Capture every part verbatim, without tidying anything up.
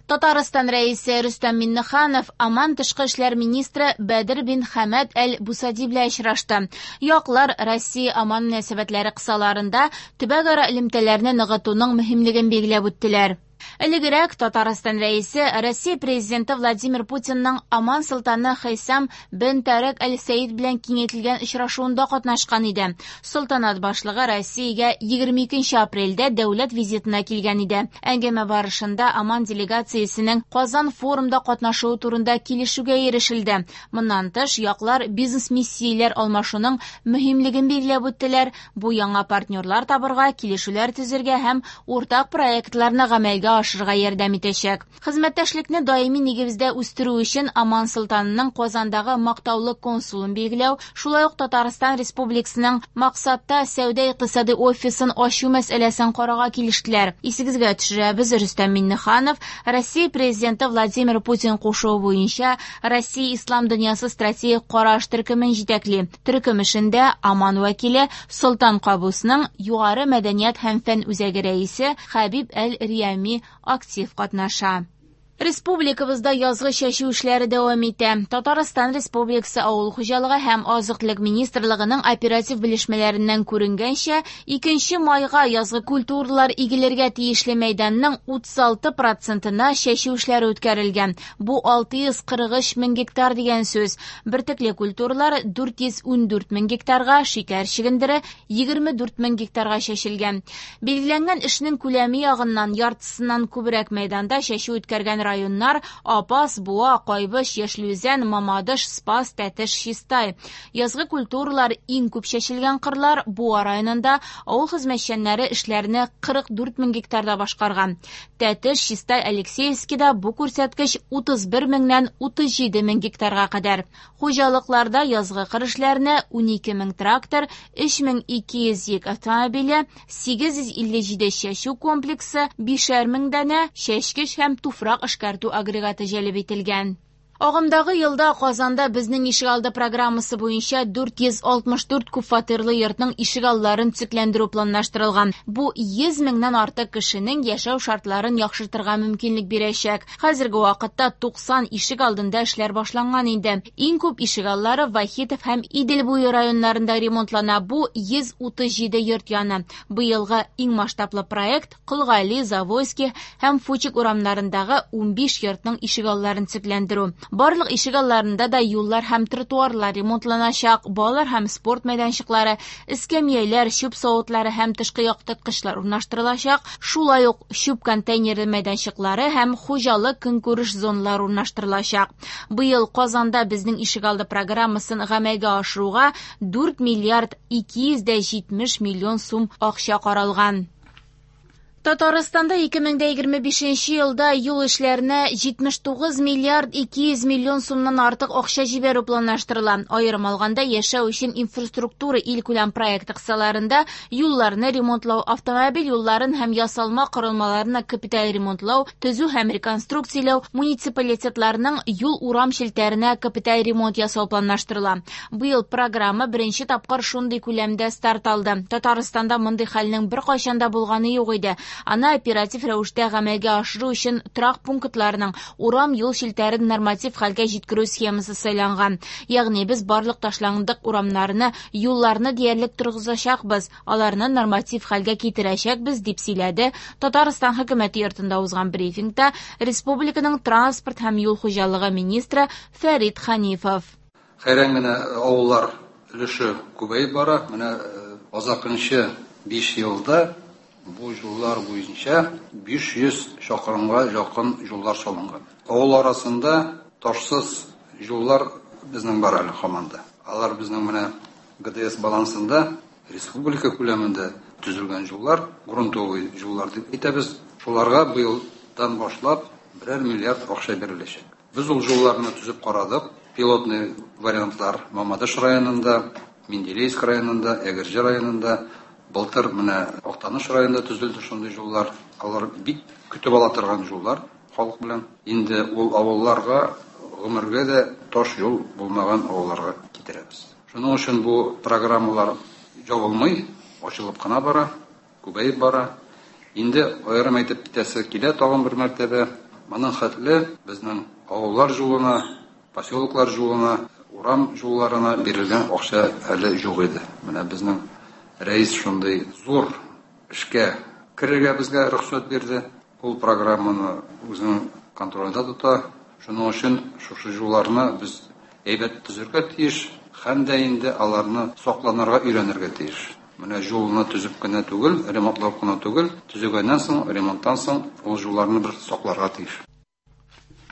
Татарстан Рәисе Рөстәм Миңнеханов Оман тышкы эшләр министры Бәдер бин Хәмәд әл-Бусади белән очрашты. Яклар Россия-Оман мөнәсәбәтләре кысаларында төбәкара элемтәләрне ныгытуның мөһимлеген билгеләп үттеләр. Элегрәк Татарстан Рәисе Россия Президенты Владимир Путинның Оман солтаны Хәйсам бен Тарек әл-Сәид белән киңәйтелгән очрашуында катнашкан иде. Солтанат башлыгы Россиягә егерме икенче апрельдә дәүләт визитына килгән иде. Әңгәмә барышында Оман делегациясенең Казан форумда катнашуы турында килешүгә ирешелде. Моннан тыш, яклар бизнес-миссияләр алмашуның мөһимлеген билгеләп үттеләр. Бу яңа партнерлар табырга, килешүләр төзергә һәм уртак проектларны гамәлгә ашырырга ярдәм итәчәк. Хезмәттәшлекне даими нигездә үстерү өчен Оман солтанының Казандагы мактаулы консулын билгеләү, шулай ук Татарстан Республикасының максатта сәүдә-икътисади офисын ачу мәсьәләсен карарга килештеләр. Исегезгә төшерәбез, Рөстәм Миңнеханов Россия Президенты Владимир Путин кушуы буенча Россия Ислам дөньясы стратегик караш төркемен җитәкли. Төркем эшендә Оман вәкиле Солтан Кабусның Югары мәдәният һәм фән үзәге рәисе Хәбиб әл-Риями актив катнаша. Республикабызда язгы чәчү эшләре дәвам итә. Татарстан Республикасы Авыл хуҗалыгы һәм азык-төлек министрлыгының оператив белешмәләреннән күренгәнчә, икенче майга язгы культуралар игелергә тиешле мәйданның утыз алты процентына чәчү эшләре үткәрелгән. Бу алты йөз кырык өч мең гектар дигән сүз. Бөртекле культуралар дүрт йөз ундүрт мең гектарга, шикәр чөгендере егерме дүрт мең гектарга чәчелгән. Билгеләнгән эшнең күләме ягыннан яртысыннан күбрәк мәйданда чәчү үткәргән районнар Апас, Буа, Кайбыч, Яшел Үзән, Мамадыш, Спас, Тәтеш, Чистай. Язгы культуралар иң күп чәчелгән кырлар Буа районында авыл хезмәтчәннәре эшләрне кырык дүрт мең гектарда башкарган. Тәтеш, Чистай, Алексеевскида бу күрсәткеч утыз бер меңнән утыз җиде мең гектарга кадәр. Хуҗалыкларда язгы кыр эшләренә унике мең трактор, өч мең ике йөз йөк автомобиле, сигез йөз илле җиде чәчү комплексы, бишәр мең данә чәчкеч һәм туфрак эшкәртү агрегаты җәлеп ителгән. Агымдагы елда Казанда безнең ишегалды программасы буенча дүрт йөз алтмыш дүрт күп фатирлы йортның ишегалларын төзекләндерү планлаштырылган. Бу йөз меңнән артык кешенең яшәү шартларын яхшыртырга мөмкинлек бирәчәк. Хәзерге вакытта туксан ишегалдында эшләр башланган инде. Иң күп ишегаллары Вахитов һәм Идел буе районнарында ремонтлана. Бу йөз утыз җиде йорт яны. Быелгы иң масштаблы проект Колгали, Завойский һәм Фучик урамнарындагы унбиш йортның ишегалларын төзекләндерү. Барлык ишегалларында да юллар һәм тротуарлар ремонтланачак, балалар һәм спорт мәйданчыклары, эскәмияләр, чүп савытлары һәм тышкы яктырткычлар урнаштырылачак, шулай ук чүп контейнеры мәйданчыклары һәм хуҗалык көнкүреш зоналары урнаштырылачак. Быел Казанда безнең ишегалды программасын гамәлгә ашыруга дүрт миллиард ике йөз дә җитмеш миллион сум акча каралган. Татарстанда ике мең дә егерме бишенче елда юл эшләренә җитмеш тугыз миллиард ике йөз миллион сумнан артык акча җибәрү планлаштырыла. Аерым алганда, яшәү өчен инфраструктура илкүләм проекты кысаларында юлларны ремонтлау, автомобиль юлларын һәм ясалма корылмаларны капиталь ремонтлау, төзү һәм реконструкцияләү, муниципалитетларның юл-урам челтәренә капиталь ремонт ясау планлаштырыла. Быел программа беренче тапкыр шундый күләмдә старт алды. Татарстанда мондый хәлнең беркайчан да булганы юк иде. Аны оператив рәвештә гамәлгә ашыру өчен торак пунктларының урам юл челтәрен норматив хәлгә җиткерү схемасы сайланган. Ягъни без барлык ташландык урамнарны, юлларны диярлек торгызачакбыз, аларны норматив хәлгә китерәчәкбез, дип сөйләде Татарстан хөкүмәте йортында узган брифингта республиканың транспорт һәм юл хуҗалыгы министры Фәрит Ханифов. Хәйран генә авыллар өлеше күбәеп бара. Менә азакынчы биш елда бу юллар буенча биш йөз чакрымга якын юллар салынган. Авыл арасында ташсыз юллар безнең бар әле һаман да. Алар безнең менә Г Д С балансында республика күләмендә төзелгән юллар, грунтовый юллар дип әйтәбез. Шуларга быелдан башлап берәр миллиард акча биреләчәк. Без ул юлларны төзеп карадык. Пилотный вариантлар Мамадыш районында, Менделеевск районында, Әгерҗе районында, былтыр менә Актаныш районында төзелде шундый юллар. Алар бик көтеп ала торган юллар халык белән. Инде ул авылларга гомергә дә таш юл булмаган авылларга китерәбез. Шуның өчен бу программалар ябылмый, ачылып кына бара, күбәеп бара. Инде аерым әйтеп китәсе килә тагын бер мәртәбә. Моның хәтле безнең авыллар юлына, поселоклар юлына, урам юлларына бирелгән акча әле юк иде. Менә безнең рәис шундый зур эшкә керергә безгә рөхсәт бирде. Ул программаны үзенең контролендә тота. Шуның өчен шушы юлларны без әйбәт төзергә тиеш, һәм дә инде аларны сакланырга өйрәнергә тиеш. Менә юлны төзеп кенә түгел, ремонтлап кына түгел, төзегәннән соң, ремонттан соң ул юлларны бер сакларга тиеш.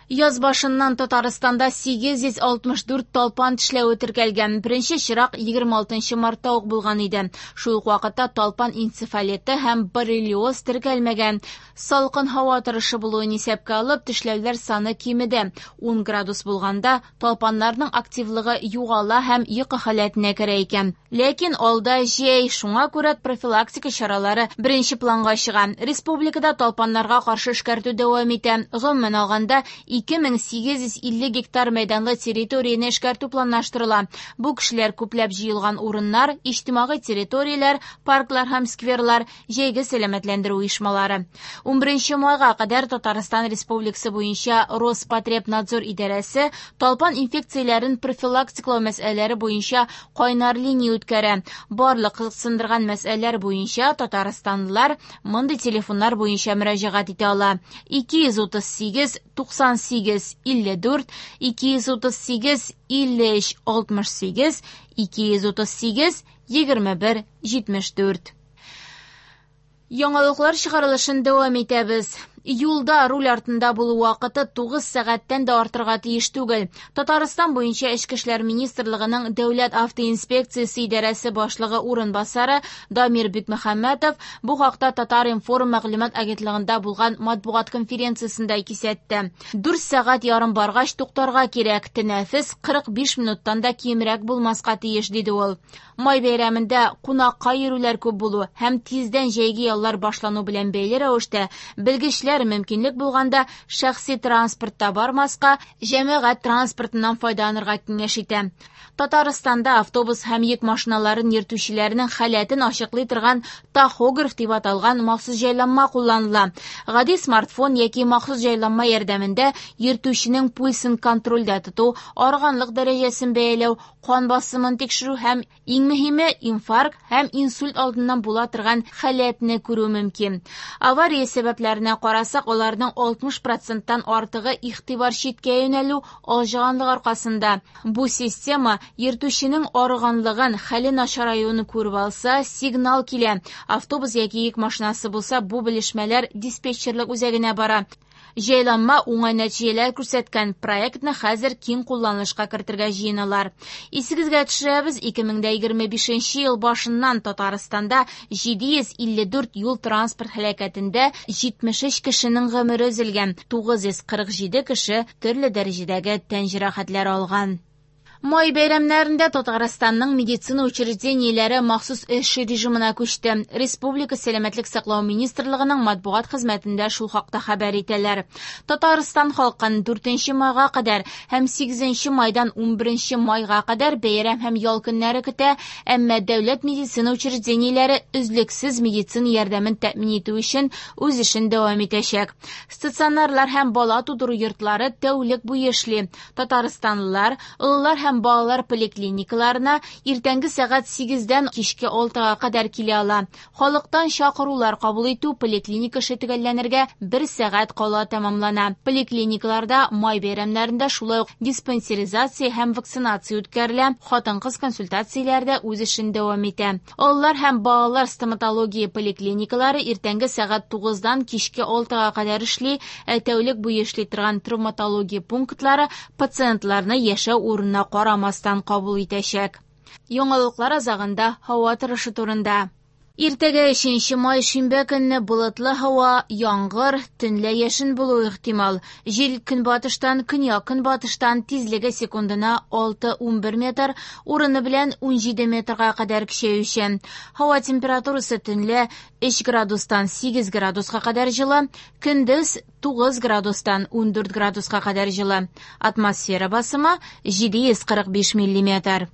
Яз башыннан Татарстанда сигез йөз алтмыш дүрт талпан тешләве теркәлгән. Беренче чирак егерме алтынчы мартта ук булган иде. Шул ук вакытта талпан энцефалиты һәм боррелиоз теркәлмәгән. Салкын һава торышы булуын исәпкә алып, тешләүләр саны кимеде. Ун градус булганда талпаннарның активлыгы югала һәм йокы халәтенә керә икән. Ләкин алда җәй, шуңа күрә профилактика чаралары беренче планга чыга. Республикада талпаннарга каршы эшкәртү дәвам итә. Гомумән алганда, ике мең сигез йөз илле гектар мәйданлы территорияне эшкәртү планлаштырыла. Бу кешеләр күпләп җыелган урыннар, иҗтимагый территорияләр, парклар һәм скверлар, җәйге сәламәтләндерү оешмалары. Унберенче майга кадәр Татарстан Республикасы буенча Роспотребнадзор идарәсе талпан инфекцияләрен профилактикалау мәсьәләләре буенча кайнар линия үткәрә. Барлык кызыксындырган мәсьәләләр буенча татарстанлылар мондый телефоннар буенча мөрәҗәгать итә ала. ике йөз утыз сигез туксан сигез илле дүрт, ике йөз утыз сигез илле өч алтмыш сигез, ике йөз утыз сигез егерме бер җитмеш дүрт. Яңалыклар чыгарылышын дәвам итәбез. Юлда руль артында булу вакыты тугыз сәгатьтән дә артырга тиеш түгел. Татарстан буенча Эчке эшләр министрлыгының Дәүләт автоинспекциясе идарәсе башлыгы урынбасары Дамир Бикмөхәммәтов бу хакта Татар-информ мәгълүмат агентлыгында булган матбугат конференциясендә кисәтте. Дүрт сәгать ярым баргач туктарга кирәк, тәнәфес кырык биш минуттан да кимрәк булмаска тиеш, диде ул. Май бәйрәмендә кунакка йөрүләр күп булу һәм тиздән җәйге яллар башлану белән бәйле рәвештә белгечләр мөмкинлек булганда шәхси транспортта бармаска, җәмәгать транспортыннан файдаланырга киңәш итә. Татарстанда автобус һәм йөк машиналарын йөртүчеләрнең халәтен ачыклый торган тахограф дип аталган махсус җайланма кулланыла. Гади смартфон яки махсус җайланма ярдәмендә йөртүченең пульсын контрольдә тоту, арганлык дәрәҗәсен бәяләү, кан басымын тикшерү һәм иң мөһиме инфаркт һәм инсульт алдыннан була торган халәтне күрү мөмкин. Авария сәбәпләренә карасак, аларның алтмыш проценттан артыгы игътибар читкә юнәлү, алҗыганлык аркасында. Бу система йөртүченең арыганлыгын, хәле начараюын күреп алса, сигнал килә. Автобус яки йөк машинасы булса, бу белешмәләр диспетчерлык үзәгенә бара. Җайланма уңай нәтиҗәләр күрсәткән проектны хәзер киң кулланылышка кертергә җыеналар. Исегезгә төшерәбез, ике мең дә егерме бишенче ел башыннан Татарстанда җиде йөз илле дүрт юл транспорт һәлакәтендә җитмеш өч кешенең гомере өзелгән, тугыз йөз кырык җиде кеше төрле дәрәҗәдәге тән җәрәхәтләре алган. Май бәйрәмнәрендә Татарстанның медицина учреждениеләре махсус эш режимына күчте. Республика Сәламәтлек саклау министрлыгының матбугат хезмәтендә шул хакта хәбәр итәләр. Татарстан халкын дүртенче майга кадәр һәм сигезенче майдан унберенче майга кадәр бәйрәм һәм ял көннәре көтә, әмма дәүләт медицина учреждениеләре өзлексез медицина ярдәмен тәэмин итү өчен үз эшен дәвам итәчәк. Стационарлар һәм бала тудыру йортлары тәүлек буе эшли. Татарстанлылар, олылар һәм балалар поликлиникаларына иртәнге сәгать сигездән кичке алтыга кадәр килә ала. Халыктан чакырулар кабул итү поликлиника эше төгәлләнергә бер сәгать кала тәмамлана. Поликлиникаларда май бәйрәмнәрендә шулай ук диспансеризация һәм вакцинация үткәрелә. Хатын-кыз консультацияләрдә үз эшен дәвам итә. Олылар һәм балалар стоматология поликлиникалары иртәнге сәгать тугыздан кичке алтыга кадәр эшли, ә тәүлек буе эшли торган травматология пунктлары пациентларны яшәү урынына карамастан кабул итәчәк. Яңалыклар азагында һава торышы турында. Иртәгә өченче май шимбә көнне болытлы һава, яңгыр, төнлә яшен булуы ихтимал. Җил көнбатыштан, көньяк-көнбатыштан тизлеге секундына алты унбер метр, урыны белән унҗиде метрга кадәр көчәючән. Һава температурасы төнлә өч градустан сигез градуска кадәр җылы, көндез тугыз градустан ундүрт градуска кадәр җылы. Атмосфера басымы җиде йөз кырык биш миллиметр.